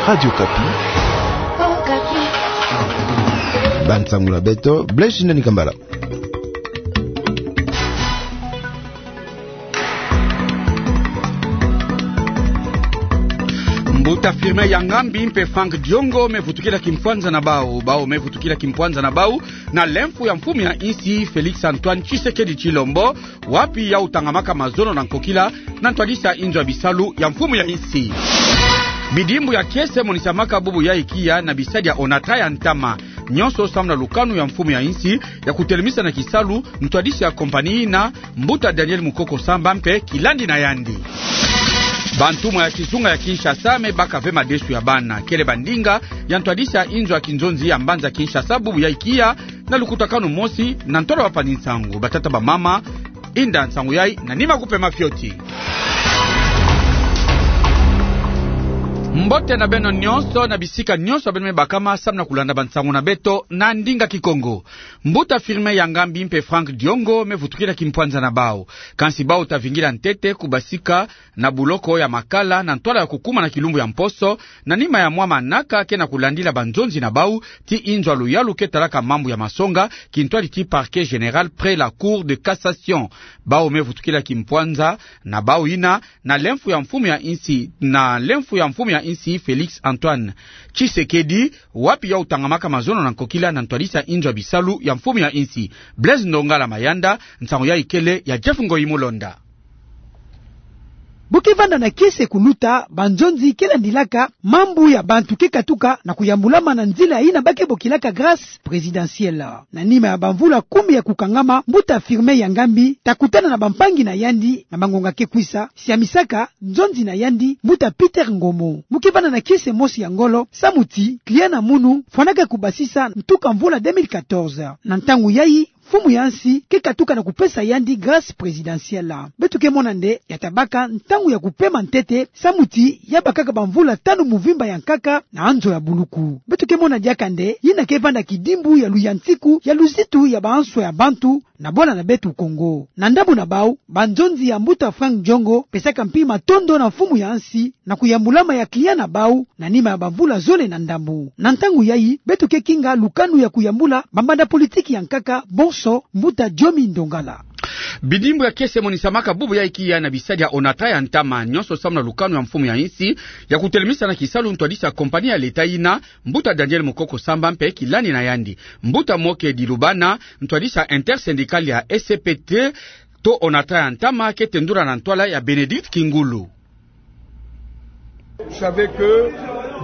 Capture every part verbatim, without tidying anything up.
Radio Okapi. Okapi. Bansangu na beto, Blaise Ndani Kambala. Mbuta Firmin Yangambi mpe Franck Diongo me vutukila kimpwanza na bau. Bau me vutukila kimpwanza na bau na lemfu ya mfumu ya insi Félix Antoine Tshisekedi Tshilombo, wapi yau tangamaka mazono na nkokila na ntwadisi ya inzo ya bisalu ya mfumu ya insi. Bidimbu ya kiese monisamaka bubu yai kiya na bisadi ya ONATRA ya ntama. Nyonso samu na lukanu ya mfumu ya insi ya kutelemisa na kisalu ntwadisi ya kompani na mbuta Daniel Mukoko Samba mpe kilandi na yandi. Bantumwa ya kizunga ya Kinshasa me baka ve madesu ya bana. Kele bandinga ya ntwadisi ya inzo ya kinzonzi ya mbanza Kinshasa bubu yai kiya na lukutakanu mosi na ntwala bapanzi nsangu. Batata, bamama, inda nsangu yai na nima kupema fioti. Mbote na beno nyonso na bisika nyonso beno me bakama samu na kulanda bansangu na beto na ndinga Kikongo. Mbuta Firmin Yangambi mpe Franck Diongo me vutukila kimpwanza na bau. Kansi bau ta vingila ntete kubasika na buloko ya makala na ntwala ya kukuma na kilumbu ya mposo, na nima ya mwa manaka ke na kulandila banzonzi na bau ti inzo ya luyalu ke talaka mambu ya masonga, kintwadi ti Parquet Général près la Cour de Cassation. Bau me vutukila kimpwanza na bau yina na lemfu ya mfumu ya insi, na lemfu ya mfumu ya insi Félix Antoine Tshisekedi, wapi yau tangamaka mazono na nkokila na ntwadisi ya inzo ya bisalu ya mfumu ya insi. Blaise Ndongala Mayanda, nsangu yai kele ya Jeff Ngoyi Mulonda. Bu ke vanda na kiese kuluta, banzonzi ke landilaka mambu ya bantu ke katuka na kuyambulama na nzila yina ba ke bokilaka grâce présidentielle. Na nima ya bamvula kumi ya kukangama, mbuta Firmin Yangambi ta kutana na bampangi na yandi na bangonga ke kwisa, siamisaka nzonzi na yandi, mbuta Peter Ngomo. Mu ke vanda na kiese mosi ya ngolo, samu ti client na munu fwanaka kubasisa ntuka mvula deux mille quatorze. Na ntangu yai, mfumu ya nsi ke katuka na kupesa yandi grâce présidentielle. Beto ke mona nde ya ta baka ntangu ya kupema ntete, samu ti ya bakaka bamvula tanu muvimba ya nkaka na nzo ya buluku. Beto ke mona diaka nde yina ke vanda kidimbu ya luyantiku ya luzitu ya banswa ya bantu na bwala na beto Kongo. Na ndambu na bau, banzonzi ya mbuta Franck Diongo pesaka mpi matondo na mfumu ya nsi na kuyambulama ya client na bau, na nima ya bamvula zole na ndambu. Na ntangu yai, beto ke kinga lukanu ya kuyambula bambanda politiki ya nkaka bonso, mbuta Diomi Ndongala. Bidimbu ya kiese monisamaka bubu yai kiya na bisadi ya ONATRA ya ntama, nyonso samu na lukanu ya mfumu ya insi ya kutelemisa na kisalu ntwadisi ya kompani ya leta yina, mbuta Daniel Mukoko Samba mpe kilandi na yandi. Mbuta Moke Dilubana, ntwadisi ya intersyndical ya S C P T to ONATRA ya ntama, ke tendula na ntwala ya Bénédicte Kingulu.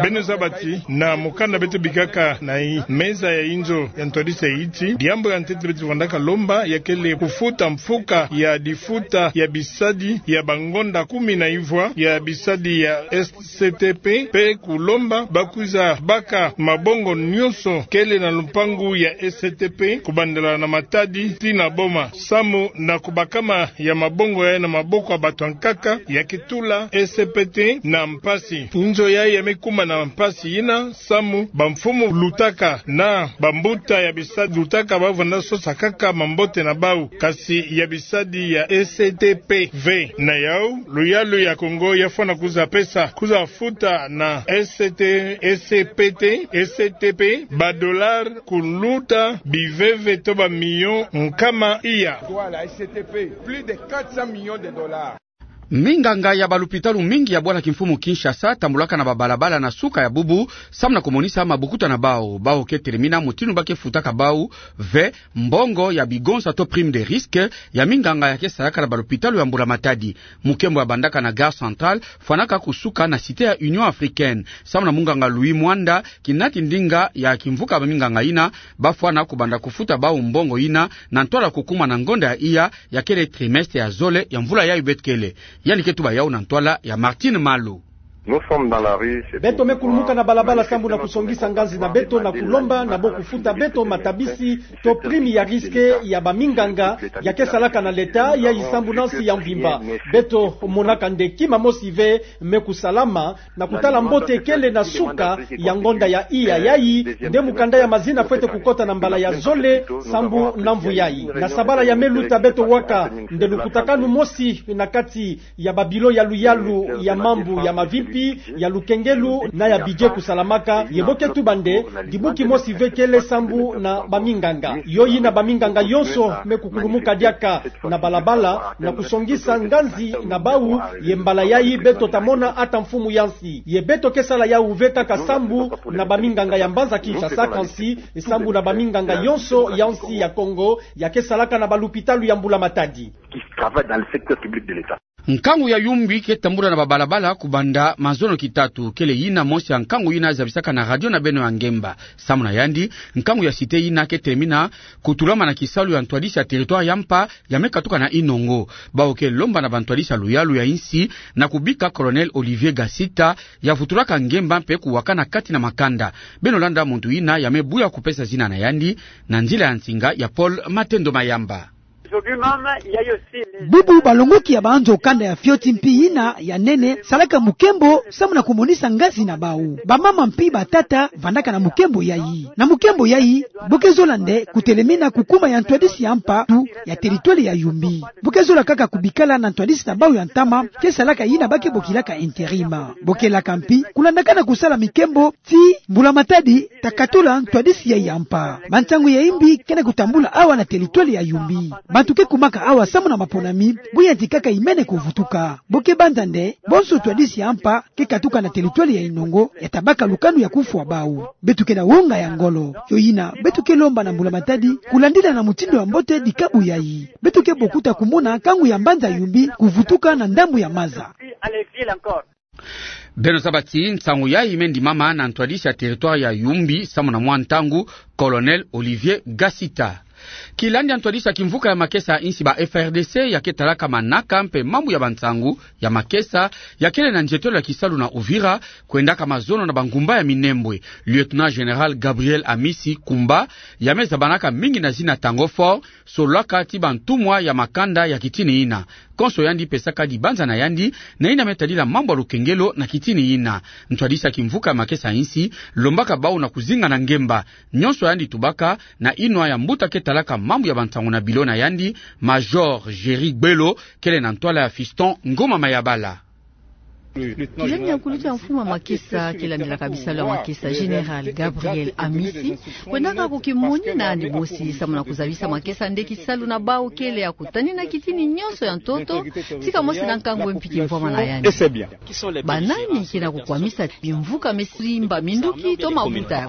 Beno zaba ti na mukanda beto bikaka na i meza ya inzo ya ntwadisi ya iti, diambu ya ntete beto vandaka lomba ya kele kufuta mfuka ya difuta ya bisadi ya bangonda kumi na ivwa ya bisadi ya S C T P, mpe kulomba ba kwiza baka mabongo nyonso kele na lupangu ya S C T P, kubandela na Matadi tii na Boma, samu na kubakama ya mabongo yai na maboko ya bato ya nkaka, ya ke tula S C P T na mpasi. Inzo yai ya me kuma na mpasi yina, samu bamfumu lutaka na bambuta ya bisadi lutaka ba vanda sosa kaka mambote na bau, kasi ya bisadi ya S C T P V. Na yau, luyalu ya Kongo ya fwana kwiza pesa, kwiza futa na S C T, S C P T, S C T P, ba dollars kuluta biveve to ba millions nkama iya. Voilà, S C T P, plus de quatre cents millions de dollars. Minganga ya balupitalu mingi ya bwala kimfumu Kinshasa tambulaka na babalabala na suka ya bubu, samu na kumonisa mabukuta na bau. Bau ke telemina mutindu ba ke futaka bau ve mbongo ya bigonsa to prime de risque ya minganga ya ke salaka na balupitalu ya mbula-matadi. Mukembo ya bandaka na Gare Centrale fwanaka kusuka na Cité ya Union Africaine. Samu na munganga Louis Mwanda, kinati ndinga ya kimvuka ya baminganga yina, ba fwana kubanda kufuta bau mbongo yina na ntwala kukuma na ngonda ya iya ya kele trimestre ya zole ya mvula yayi beto kele. Yandi ke tuba yau na ntwala ya Martine Malu. Nous sommes dans la rue, c'est pour pouvoir, beto me kulumuka na balabala sambu na kusongisa nganzi na beto na kulomba na bo kufuta beto matabisi to prime ya risque ya baminganga ya ke salaka na leta, yayi sambu na nsi ya mvimba. Beto monaka nde kima mosi ve me kusalama na kutala mbote kele na suka ya ngonda ya iya. Yayi nde mukanda ya mazina fwete kukota na mbala ya zole sambu na mvu yayi. Na sabala ya me luta beto waka nde lukutakanu mosi na kati ya ba bureau ya luyalu ya mambu ya mavimpi. pi ya lukengelo na ya budget kusalamaka, ye bo ke tuba nde, dibu kimosi ve kele sambu na baminganga. Yo yina baminganga yonso me kukulumuka diaka na balabala na kusongisa nganzi na bau, ye mbala yayi beto ta mona ata mfumu ya nsi. Ye beto ke sala yau ve kaka sambu na baminganga ya mbanza Kinshasa, kansi sambu na baminganga yonso ya nsi ya Kongo ya ke salaka na balupitalu ya Mbula Matadi. Qui travaillent dans le secteur public de l'État. Nkangu ya Yumbi ke tambula na babalabala kubanda mazono kitatu, kele yina mosi ya nkangu yina zabisaka na radio na beno ya ngemba. Samu na yandi, nkangu ya cité yina ke telemina kutulama na kisalu ya ntwadisi ya territoire ya mpa ya me katuka na Inongo. Bau ke lomba na bantwadisi ya luyalu ya insi na kubika Colonel Olivier Gasita ya vutulaka ngemba mpe kuwakana kati na makanda. Beno landa muntu yina ya me buya kupesa zina na yandi na nzila ya nsinga ya Paul Matendo Mayamba. Bubu balongoki ya banzo kanda ya fioti mpi yina ya nene salaka mukembo samu na kumonisa ngazi na bau. Bamama mpi batata vandaka na mukembo yayi. Na mukembo yayi, bo ke zola nde kutelemina kukuma ya ntwadisi ya mpa tu ya territoire ya Yumbi. Bo ke zola kaka kubikala na ntwadisi na bau ya ntama, ke salaka yina ba ke bokilaka intérim. Bo ke laka mpi kulandakana kusala mikembo ti Mbula Matadi ta katula ntwadisi yayi ya mpa. Bansangu ya imbi ke na kutambula awa na territoire ya Yumbi. Bantu ke kumaka awa samu na maponami, bo yantikaka imene kuvutuka. Bo ke banza nde, bonso ntwadisi ya mpa ke katuka na territoire ya Inongo, ya ta baka lukanu ya kufwa bau. Beto ke na wonga ya ngolo. Yo yina, beto ke lomba na Mbula Matadi kulandila na mutindu ya mbote dikabu yayi. Beto ke bokuta kumona nkangu ya mbanza Yumbi kuvutuka na ndambu ya maza. Beno zaba ti nsangu yayi me ndimama na ntwadisi ya territoire ya Yumbi samu na mwa ntangu, Colonel Olivier Gasita. Kilandi ya ntwadisi ya kimvuka ya makesa ya insi, ba F R D C ya ke talaka manaka mpe mambu ya bansangu ya makesa ya kele na nzietelo ya kisalu na Uvira, kwendaka mazono na bangumba ya Minembwe. Lieutenant-général Gabriel Amisi Kumba, ya me zabanaka mingi na zina Tango Fort, sololaka ti bantumwa ya makanda ya kitini yina. Konso yandi pesaka dibanza na yandi na yina me tadila mambu ya lukengelo na kitini yina. Ntwadisi ya kimvuka ya makesa ya insi lombaka bau na kuzinga na ngemba nyonso yandi tubaka na inwa ya mbuta ke talaka mambu ya bansangu na bilo na yandi, Major Géry Gbelo, kele na ntwala ya Fiston Ngoma Mayabala. Kilandi ya nkulutu ya mfumu ya makesa ke landilaka bisalu ya makesa, Général Gabriel Amisi, kwendaka kukimoni na yandi mosi samu na kuzabisa makesa nde kisalu na bau kele ya kutanina kitini nyonso ya ntoto, tika mosi na nkangu mpi kimvwama na yandi. Banani ke na kukwamisa bimvuka me simba minduki to mabuta?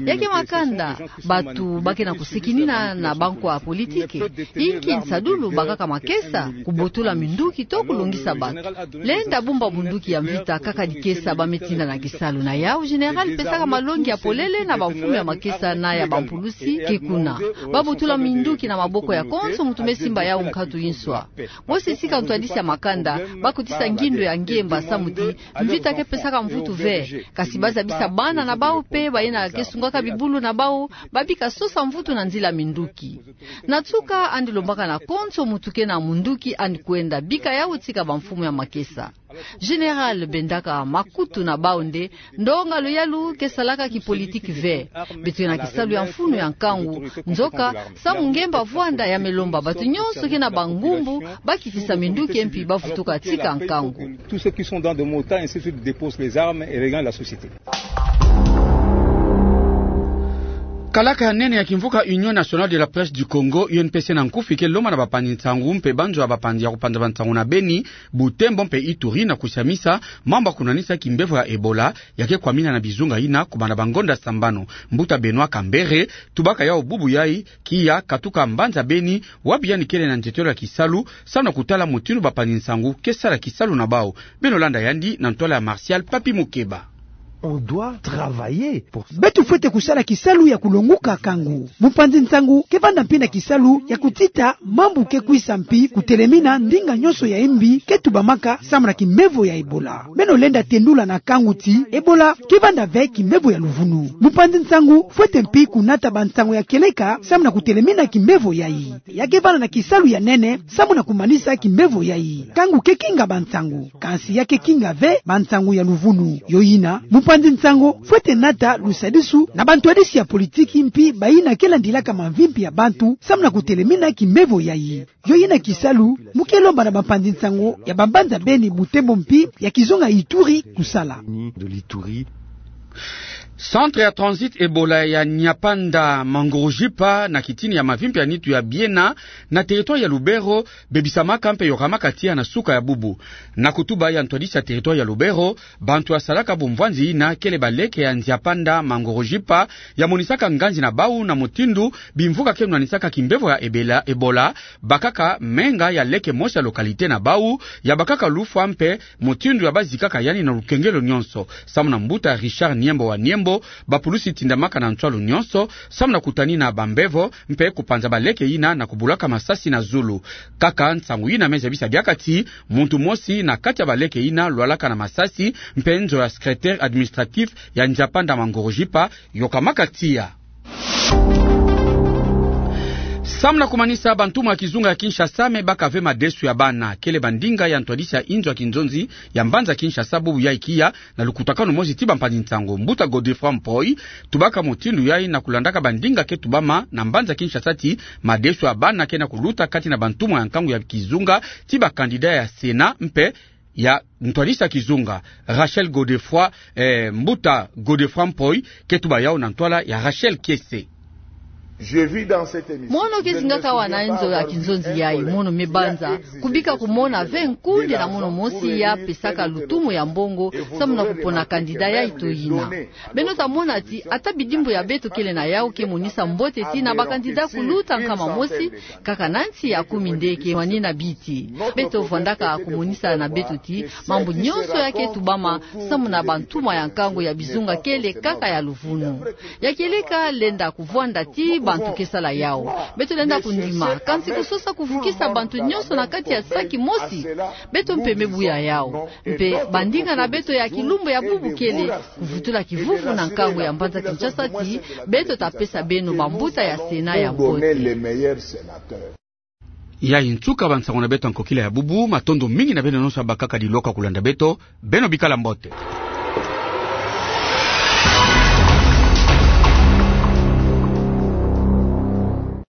Ya ke makanda, bantu ba ke na kusikinina na bankwa politike. Inki nsadulu? Bakaka makesa, kubotola minduki to kulongisa bantu. Lenda bumba munduki ya mvita kaka dikesa ba me tinda na kisalu. Na yau, général pesaka malongi ya polele na bamfumu ya makesa na ya bampulusi ke kuna. Ba botola minduki na maboko ya konso muntu me simba yau nkatu inswa. Mosi tika ntwadisi ya makanda, ba kotisa ngindo ya ngemba samu ti mvita ke pesaka mvutu ve. Kasi ba zabisa bana na bau mpe bayina ke sungaka bibulu na bau, ba bika sosa mvutu na nzila minduki. Na nsuka, yandi lombaka na konso muntu ke na munduki yandi kwenda bika yau tika bamfumu ya makesa. Général bendaka makutu na bau nde, ndonga luyalu ke salaka kipolitiki ve. Beto ke na kisalu ya mfunu ya nkangu. Nzoka, samu ngemba vwanda, ya me lomba bantu nyonso ke na bangumbu ba kitisa minduki mpi ba vutuka tika nkangu. Tous ceux qui sont dans des motards, ainsi de suite, déposent les armes et regagnent la société. Kalaka ya nene ya kimvuka Union Nationale de la Presse du Congo, U N P C na nkufi, ke lomba na bapanzi nsangu mpe banzo ya bapanzi ya kupanza bansangu na Beni, Butembo mpe Ituri na kusiamisa mambu ya kunanisa kimbevo ya Ebola ya ke kwamina na bizunga yina kubanda bangonda sambanu. Mbuta Benoît Kambere tubaka yau bubu yayi, kiya katuka mbanza Beni, wapi yandi kele na nzietelo ya kisalu, samu na kutala mutindu bapanzi nsangu ke sala kisalu na bau. Beno landa yandi na ntwala ya Martial Papi Mukeba. On doit travailler pour ça. Beto fwete kusala kisalu ya kulonguka nkangu. Mupanzi nsangu ke vanda mpi na kisalu ya kutita mambu ke kwisa mpi kutelemina ndinga nyonso ya imbi ke tubamaka samu na kimbevo ya Ebola. Beno lenda tendula na nkangu ti Ebola ke vanda ve kimbevo ya luvunu. Mupanzi nsangu fwete mpi kunata bansangu ya kieleka samu na kutelemina kimbevo yayi. Ya ke vanda na kisalu ya nene samu na kumanisa kimbevo yayi. Nkangu ke kinga bansangu, kansi ya ke kinga ve bansangu ya luvunu. Yo yina, mupanzi Mpanzi nsango fwete nata lusadisu na bantwadisi ya politiki mpi bayina ke landilaka mavimpi ya bantu samu na kutelemina kimbevo yayi. Yo yina kisalu mu ke lomba na bampanzi nsango ya bambanza beni Butembo mpi ya kizunga Ituri kusala. Centre ya transit Ebola ya Nyapanda Mangurujipa na kitini ya mavimpi ya nitu ya biena na territoire ya Lubero bebisamaka mpe yokamaka tiya na suka ya bubu. Na kutuba ya ntwadisi ya territoire ya Lubero, bantu ya salaka bumvwanzi yina kele baleke ya Nyapanda Mangurujipa ya monisaka nganzi na bau na mutindu bimvuka ke nwanisaka kimbevo ya Ebela, Ebola, bakaka menga ya leke mosi ya localité na bau, ya bakaka lufwa mpe mutindu ya bazikaka yandi na lukengelo nyonso. Samu na mbuta Richard Niembo wa Niembo, bapulusi tindamaka na nswalu nyonso samu na kutanina bambevo mpe kupanza baleke yina na kubulaka masasi na zulu. Kaka nsangu yina me zabisa biakati muntu mosi na kati ya baleke yina lwalaka na masasi, mpe nzo ya secrétaire administratif ya Nyapanda Mangurujipa yokamaka tiya. Samu na kumanisa bantumwa ya kizunga ya Kinshasa me baka ve madesu ya bana, kele bandinga ya ntwadisi ya inzo ya kinzonzi ya mbanza Kinshasa bubu ya ikiya, na lukutakanu mosi ti bampanzi nsango, mbuta Godefroid Mpoi tubaka mutindu yayi na kulandaka bandinga ke tubama na mbanza Kinshasa ti madesu ya bana ke na kuluta kati na bantumwa ya nkangu ya kizunga ti ba candidat ya Sénat mpe ya ntwadisi ya kizunga. Rachel Godefroid, eh, mbuta Godefroid Mpoi ke tuba yawu na ntwala ya Rachel Kiese. Mono ke zingaka wana nzo ya kinzonzi yayi, mono me banza kubika kumona ve nkundi na mono mosi ya pesaka lutumu ya mbongo samu na kupona candidat yayi to yina. Beno ta mona ti ata bidimbu ya beto kele na yawu ke monisa mbote ti na ba candidat kuluta nkama mosi, kaka na nsi ya kumi nde ke nwanina biti. Beto vwandaka kumonisa na beto ti mambu nyonso ya ke tubama samu na bantumwa ya nkangu ya bizunga kele kaka ya luvunu. Ya kieleka lenda kuvwanda ti bantu ke sala yawu. Beto lenda kundima, kansi kusosa kuvukisa bantu nyonso na kati ya saki mosi. Beto mpe me buya yawu. Mpe bandinga na beto ya kilumbu ya bubu kele kuvutula kivuvu na nkangu ya mbanza Kinshasa ti beto ta pesa beno bambuta ya Sénat ya mbote. Yayi nsuka bansango na beto ya nkokila ya bubu. Matondo mingi na beno nyonso ya bakaka diloka kulanda beto. Beno bikala mbote.